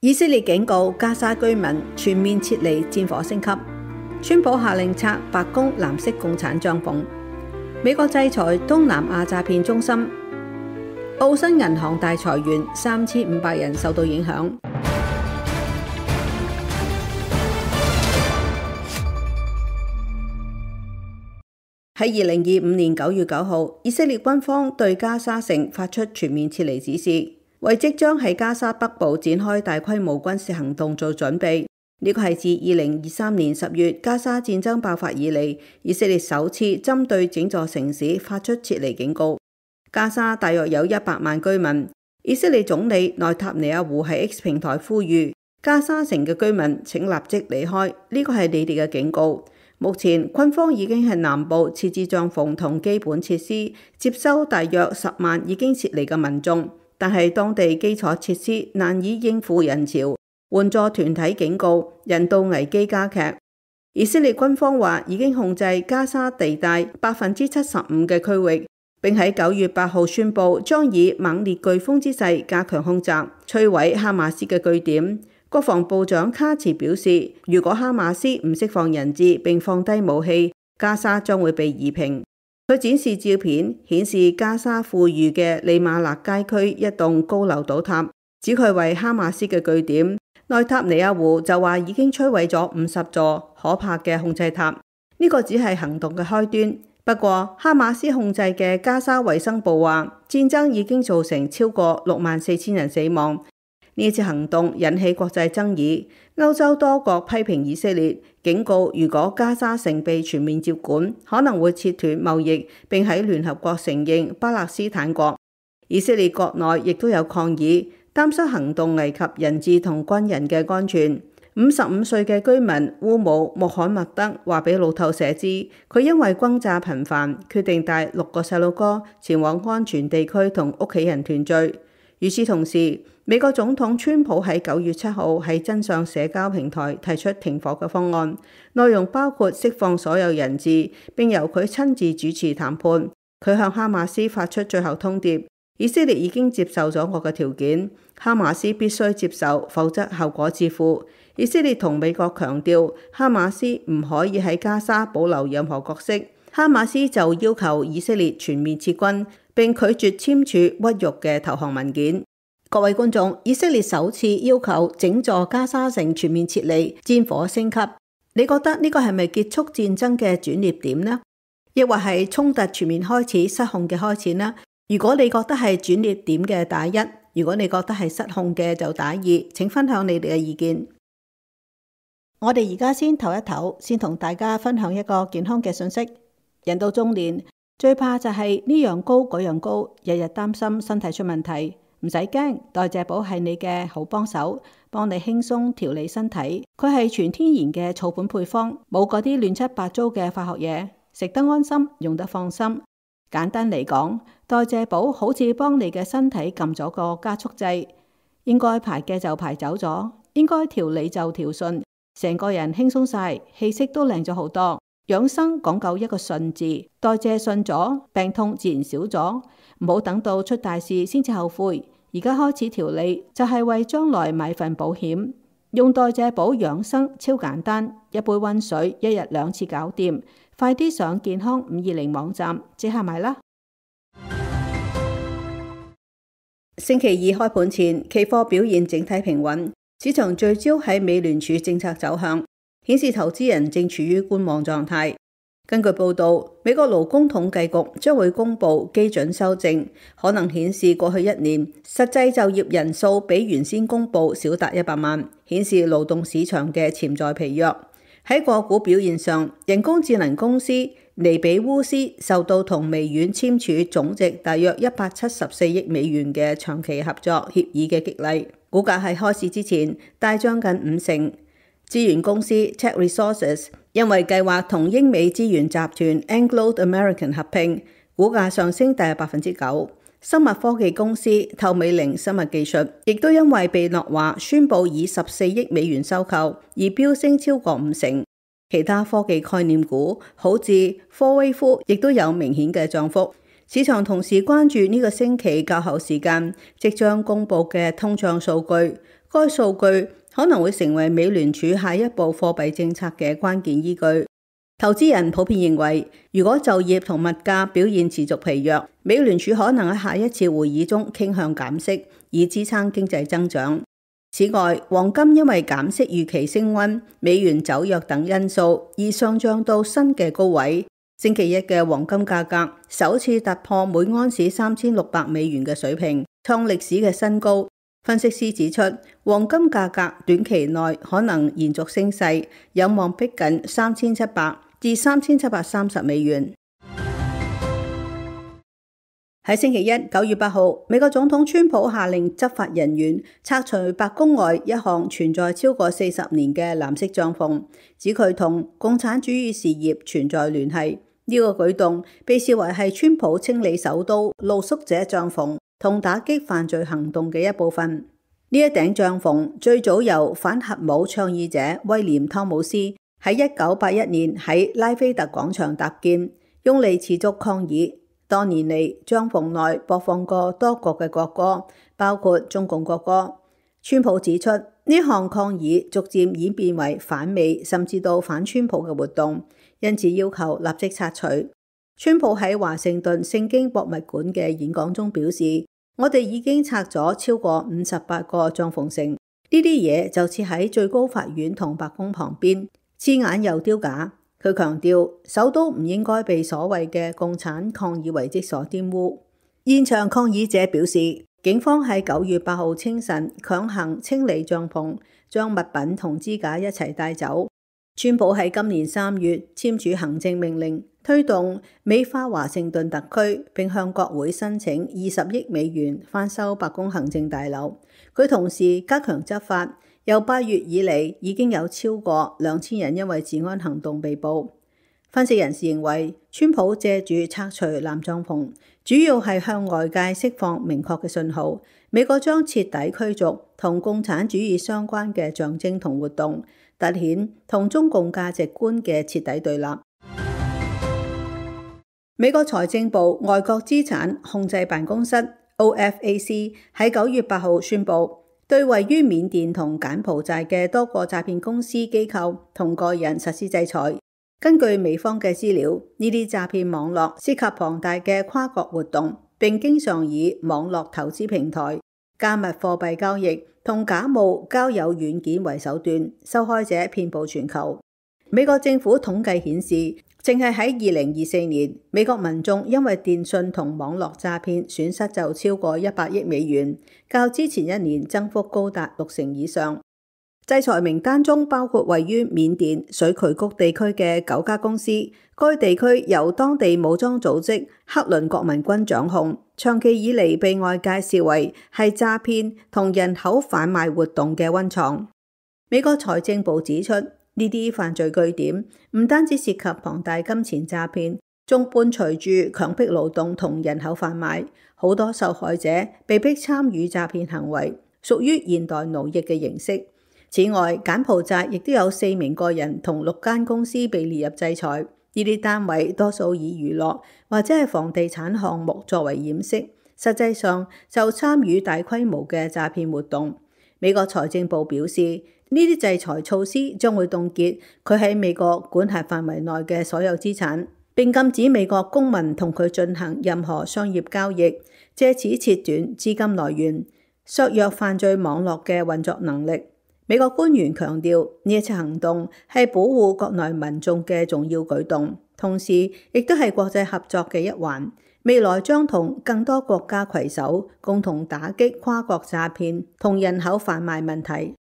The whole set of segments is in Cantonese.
以色列警告加沙居民全面撤離，戰火升級。川普下令拆白宮藍色共產帳篷。美國制裁東南亞詐騙中心。澳新銀行大裁員，3500人受到影響。喺2025年9月9號，以色列軍方對加沙城發出全面撤離指示，為即將喺加沙北部展開大規模軍事行動做準備。呢個係自2023年10月加沙戰爭爆發以嚟，以色列首次針對整座城市發出撤離警告。加沙大約有100萬居民。以色列總理內塔尼亞胡喺 X 平台呼籲加沙城嘅居民請立即離開，呢個係你哋嘅警告。目前軍方已經喺南部設置帳篷同基本設施，接收大約10萬已經撤離嘅民眾，但係當地基礎設施難以應付人潮。援助團體警告人道危機加劇。以色列軍方話已經控制加沙地帶75%嘅區域，並喺9月8號宣布將以猛烈颶風之勢加強空襲，摧毀哈馬斯嘅據點。國防部長卡茨表示，如果哈馬斯唔釋放人質並放低武器，加沙將會被夷平。佢展示照片，顯示加沙富裕嘅利馬勒街區一棟高樓倒塌，指佢為哈馬斯嘅據點。內塔尼亞胡就話已經摧毀咗50座可怕嘅控制塔，呢個只係行動嘅開端。不過哈馬斯控制嘅加沙衛生部話，戰爭已經造成超過64000人死亡。呢次行動引起國際爭議，歐洲多國批評以色列，警告如果加沙城被全面接管，可能會切斷貿易，並喺聯合國承認巴勒斯坦國。以色列國內亦都有抗議，擔心行動危及人質同軍人嘅安全。55歲嘅居民烏姆穆罕默德話俾路透社知，佢因為轟炸頻繁，決定帶6個細路哥前往安全地區同屋企人團聚。與此同時，美國總統川普喺9月7號喺真相社交平台提出停火嘅方案，內容包括釋放所有人質，並由佢親自主持談判。佢向哈馬斯發出最後通牒：以色列已經接受咗我嘅條件，哈馬斯必須接受，否則後果自負。以色列同美國強調，哈馬斯唔可以喺加沙保留任何角色。哈馬斯就要求以色列全面撤軍，並拒絕簽署屈辱嘅投降文件。各位觀眾，以色列首次要求整座加沙城全面撤離，戰火升級。你覺得呢個係咪結束戰爭嘅轉捩點呢？抑或係衝突全面開始失控嘅開始呢？如果你覺得係轉捩點嘅打1，如果你覺得係失控嘅就打2，請分享你哋嘅意見。我哋而家先唞一唞，先同大家分享一個健康嘅信息。人到中年，最怕就係呢樣高嗰樣高，日日擔心身體出問題。唔使驚，代謝寶係你嘅好幫手，幫你輕鬆調理身體。佢係全天然嘅草本配方，冇嗰啲亂七八糟嘅化學嘢，食得安心，用得放心。簡單嚟講，代謝寶好似幫你嘅身體撳咗個加速掣，應該排嘅就排走咗，應該調理就調順，成個人輕鬆晒，氣色都靚咗好多。養生講究一個順字，代謝順咗，病痛自然少咗。唔好等到出大事先至後悔，而家開始調理就係為將來買份保險。用代謝寶養生超簡單，一杯溫水，1日2次搞掂。快啲上健康520網站即刻買啦！星期二開盤前，期貨表現整體平穩，市場聚焦喺美聯儲政策走向，顯示投資人正處於觀望狀態。根據報道，美國勞工統計局將會公布基準修正，可能顯示過去1年實際就業人數比原先公布少達100萬，顯示勞動市場嘅潛在疲弱。喺個股表現上，人工智能公司尼比烏斯受到同微軟簽署總值大約174億美元嘅長期合作協議嘅激勵，股價喺開市之前大漲近50%。資源公司 Tech Resources 因為計劃同英美資源集團 Anglo American 合併，股價上升大約9%。生物科技公司透美齡生物技術亦都因為被諾華宣布以14億美元收購而飆升超過50%。其他科技概念股好似科威夫亦都有明顯嘅漲幅。市場同時關注呢個星期較後時間即將公布嘅通脹數據。該數據可能會成為美聯儲下一步貨幣政策嘅關鍵依據。投資人普遍認為，如果就業同物價表現持續疲弱，美聯儲可能喺下一次會議中傾向減息，以支撐經濟增長。此外，黃金因為減息預期升溫、美元走弱等因素而上漲到新嘅高位。星期一嘅黃金價格首次突破每盎司$3600嘅水平，創歷史嘅新高。分析師指出，黃金價格短期內可能延續升勢，有望逼近$3700至$3730。喺星期一9月8號，美國總統川普下令執法人員拆除白宮外一項存在超過40年嘅藍色帳篷，指佢同共產主義事業存在聯繫。呢個舉動被視為係川普清理首都露宿者帳篷同打擊犯罪行動嘅一部分。呢一頂帳篷最早由反核武倡議者威廉湯姆斯喺1981年喺拉菲特廣場搭建，用嚟持續抗議。多年嚟，帳篷內播放過多國嘅國歌，包括中共國歌。川普指出，呢項抗議逐漸演變為反美甚至到反川普嘅活動，因此要求立即拆除。川普喺華盛頓聖經博物館嘅演講中表示，我哋已經拆咗超過58個帳篷城，呢啲嘢就設喺最高法院同白宮旁邊，刺眼又丟架。佢強調，首都唔應該被所謂嘅共產抗議遺跡所玷污。現場抗議者表示，警方喺9月8號清晨強行清理帳篷，將物品同支架一齊帶走。川普喺今年3月簽署行政命令，推動美化華盛頓特區，並向國會申請20億美元翻修白宮行政大樓。佢同時加強執法。由8月以嚟，已經有超過2000人因為治安行動被捕。分析人士認為，川普借住拆除藍帳篷，主要係向外界釋放明確嘅信號，美國將徹底驅逐同共產主義相關嘅象徵同活動，凸顯同中共價值觀嘅徹底對立。美國財政部外國資產控制辦公室 OFAC 喺9月8號宣布，對位於緬甸同柬埔寨嘅多個詐騙公司、機構同個人實施制裁。根據美方嘅資料，呢啲詐騙網絡涉及龐大嘅跨國活動，並經常以網絡投資平台、加密貨幣交易同假冒交友軟件為手段，受害者遍佈全球。美國政府統計顯示，淨係喺2024年，美國民眾因為電訊同網絡詐騙損失就超過100億美元，較之前一年增幅高達60%以上。制裁名單中包括位於緬甸水渠谷地區嘅9家公司，該地區由當地武裝組織克倫國民軍掌控，長期以嚟被外界視為係詐騙同人口販賣活動嘅溫床。美國財政部指出，呢啲犯罪據點唔單止涉及龐大金錢詐騙，仲伴隨住強迫勞動同人口販賣，好多受害者被迫參與詐騙行為，屬於現代奴役嘅形式。此外，柬埔寨亦都有4名個人同6間公司被列入制裁，呢啲單位多數以娛樂或者係房地產項目作為掩飾，實際上就參與大規模嘅詐騙活動。美國財政部表示，呢啲制裁措施將會凍結佢喺美國管轄範圍內嘅所有資產，並禁止美國公民同佢進行任何商業交易，借此切斷資金來源，削弱犯罪網絡嘅運作能力。美國官員強調，呢一次行動係保護國內民眾嘅重要舉動，同時亦都係國際合作嘅一環。未來將同更多國家攜手，共同打擊跨國詐騙同人口販賣問題。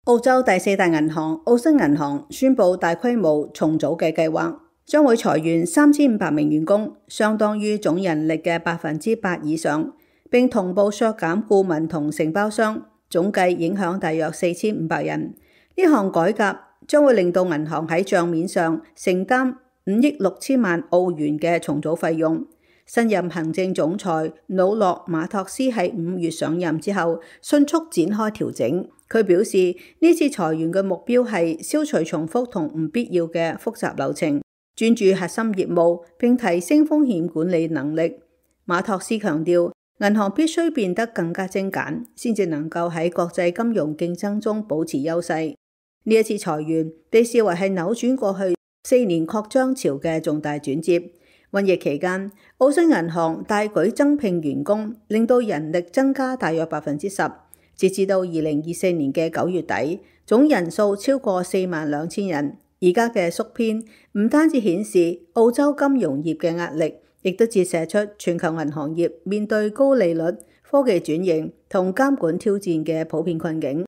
澳洲第4大銀行澳新銀行宣布大規模重組嘅計劃，將會裁員3500名員工，相當於總人力嘅8%以上。並同步削減顧問同承包商，總計影響大約4500人。呢項改革將會令到銀行喺帳面上承擔5億6千萬澳元嘅重組費用。新任行政總裁魯諾馬托斯喺5月上任之後，迅速展開調整。佢表示，呢次裁員嘅目標係消除重複同唔必要嘅複雜流程，專注核心業務，並提升風險管理能力。馬托斯強調，銀行必須變得更加精簡，先至能夠喺國際金融競爭中保持優勢。呢一次裁員被視為係扭轉過去4年擴張潮嘅重大轉折。瘟疫期間，澳新銀行大舉增聘員工，令到人力增加大約10%。截至到2024年嘅9月底，總人數超過42000人。而家嘅縮編唔單止顯示澳洲金融業嘅壓力，亦都折射出全球銀行業面對高利率、科技轉型同監管挑戰嘅普遍困境。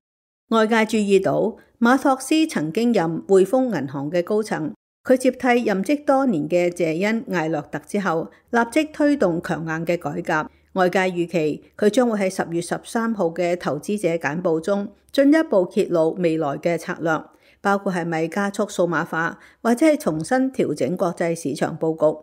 外界注意到馬托斯曾經任匯豐銀行嘅高層，佢接替任職多年嘅謝恩艾洛特之後，立即推動強硬嘅改革。外界預期佢將會喺10月13號嘅投資者簡報中進一步揭露未來嘅策略，包括係咪加速數碼化，或者係重新調整國際市場佈局。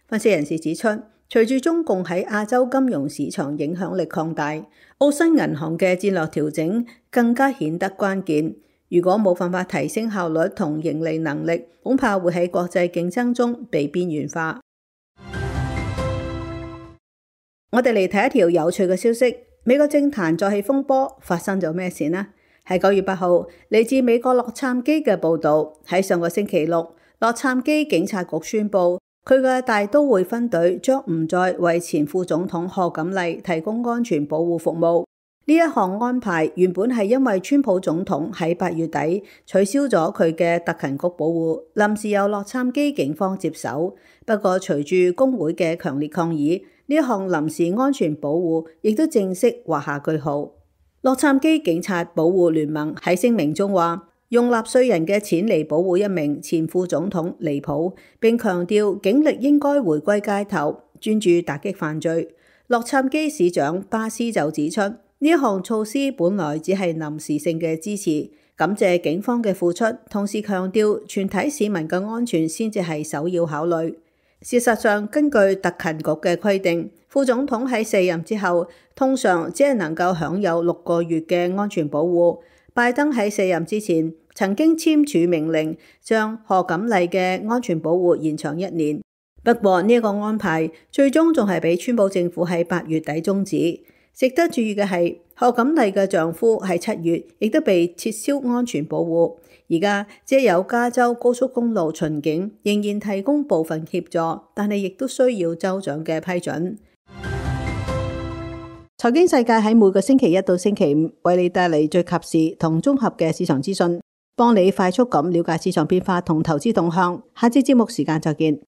分析人士指出，隨住中共喺亞洲金融市場影響力擴大，澳新銀行嘅戰略調整更加顯得關鍵。如果冇辦法提升效率同盈利能力，恐怕會喺國際競爭中被邊緣化。我哋嚟睇一條有趣嘅消息，美國政壇再起風波，發生咗咩事呢？係9月8號，嚟自美國洛杉磯嘅報導，喺上個星期六，洛杉磯警察局宣布，佢嘅大都會分隊將唔再為前副總統賀錦麗提供安全保護服務。呢一項安排原本係因為川普總統喺8月底取消咗佢嘅特勤局保護，臨時由洛杉磯警方接手。不過隨住工會嘅強烈抗議，呢一項臨時安全保護亦都正式畫下句號。洛杉磯警察保護聯盟喺聲明中話，用納稅人嘅錢嚟保護一名前副總統離譜，並強調警力應該回歸街頭，專注打擊犯罪。洛杉磯市長巴斯就指出，呢一項措施本來只係臨時性嘅支持，感謝警方嘅付出，同時強調全體市民嘅安全先至係首要考慮。事實上，根據特勤局嘅規定，副總統喺卸任之後，通常只係能夠享有6個月嘅安全保護。拜登喺卸任之前曾經簽署命令，將賀錦麗嘅安全保護延長1年。不過呢個安排最終仲係俾川普政府喺8月底終止。值得注意嘅係，賀錦麗嘅丈夫喺7月亦都被撤銷安全保護。而家只有加州高速公路巡警仍然提供部分協助，但係亦都需要州長嘅批准。財經世界喺每個星期1到星期5為你帶嚟最及時同綜合嘅市場資訊，幫你快速咁了解市場變化同投資動向。下次節目時間再見。